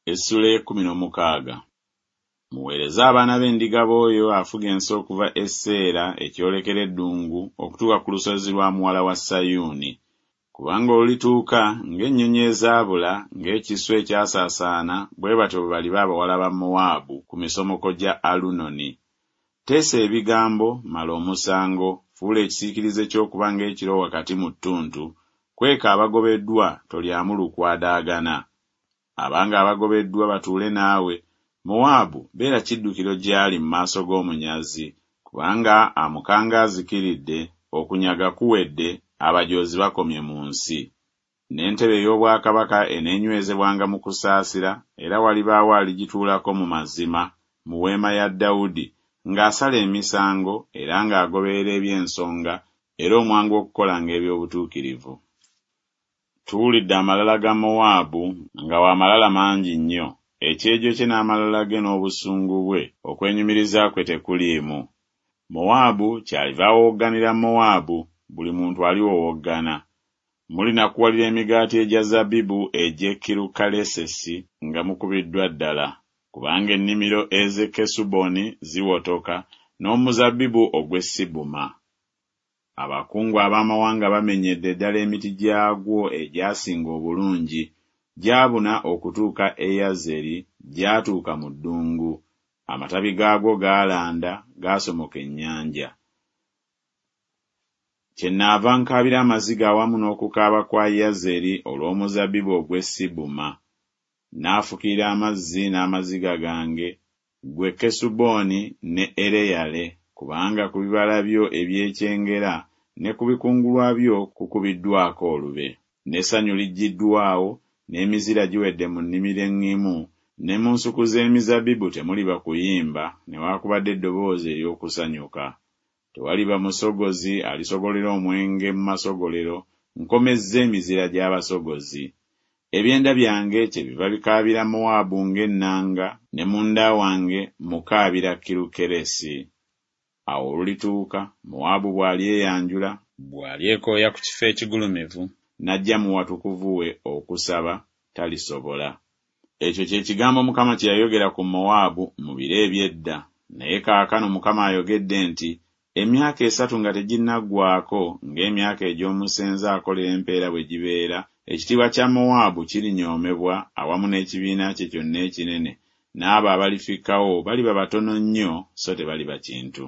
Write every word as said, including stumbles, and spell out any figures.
Essula ey'ekkumi n'omukaaga. Muweereze abaana b'endiga b'oyo afuga ensi okuva e Seera ekyolekera eddungu okutuuka ku lusozi lwa muwala wa Sayuuni. Kubanga olulituuka ng'ennyonyi ezaabula, ng'ekiswa ekyasaasaana, bwe batyo bwe baliba abawala ba Mowaabu ku misomoko gya Alunoni. Teesa ebigambo, mala omusango, fuula ekisiikirize ky'okuba ng'ekiro wakati mu ttuntu, kweka abagobeddwa, tolyamu lukwe adaagana. Abange abagobeddwa batuule naawe, Mowaabu beera kiddukiro gy'ali mu maaso g'omunyazi, kubanga amukanga azikiridde, okunyaga kuwedde, abajoozi bakomye mu nsi. N'entebe ey'obwakabaka eneenywezebwanga mu kusaasira, era walibaawo aligituulako mu mazima, mu weema ya Dawudi, ng'asala emisango era ng'agoberera eby'ensonga era omwangu okukolanga eby'obutuukirivu. Tuwulidde amalala ga Mowaabu, nga wa malala mangi nnyo, ekyejo kye n'amalala ge n'obusungu bwe, okwenyumiriza kwe tekuliimu. Mowaabu kyaliva awowogganira Mowaabu, buli muntu aliwowoggana. Mulinakuwalira emigaati egya zabbibu egy'e Kirukalesesi nga mukubiddwa ddala, kubanga ennimiro ez'e Kesuboni ziwotoka, n'omuzabbibu ogw'e Sibuma. Abakungu ab'amawanga bamenyedde ddala emiti gyagwo egyasinga obulungi, gyabuna okutuuka e Yazeri, gyatuuka mu ddungu. Amatabi gaagwo gaalanda, gaasomoka ennyanja. Kyennaava nkaabira amaziga awamu n'okukaaba kwa Yazeri olw'omuzabbibu ogw'e Sibuma. Naafukirira amazzi n'amaziga gange, ggwe Kesuboni ne Ereyale, kubanga ku bibala byo eby'ekyengera ne ku bikungulwa byo kukubiddwako olube. N'essanyu liggyiddwawo, n'emizira giwedde mu nnimiro eŋŋimu, ne mu nsuku z'emizabbibu temuliba kuyimba, newaakubadde eddoboozi ery'okusanyuka. Tewaliba musogozi alisogolera omwenge mu masogolero, nkomezza emizira gy'abasogozi. Ebyenda byange kyebiva bikaabira Mowaabu ng'ennanga, ne munda wange mukaabira Kirukeresi. Awo olulituuka, Mowaabu bw'alyeyanjula, bw'alyekooya ku kifo ekigulumivu, n'ajja mu watukuvu we okusaba, talisobola. Ekyo kye kigambo Mukama kye yayogera ku Mowaabu mu biro eby'edda, naye kaakano Mukama ayogedde nti, Emyaka esatu nga teginnaggwaako, ng'emyaka egy'omusenze akolera empeera bwe gibeera, ekitiibwa kya Mowaabu kirinyoomebwa awamu n'ekibiina kye kyonna ekinene, n'abo abalifikkawo baliba batono nnyo so tebaliba kintu.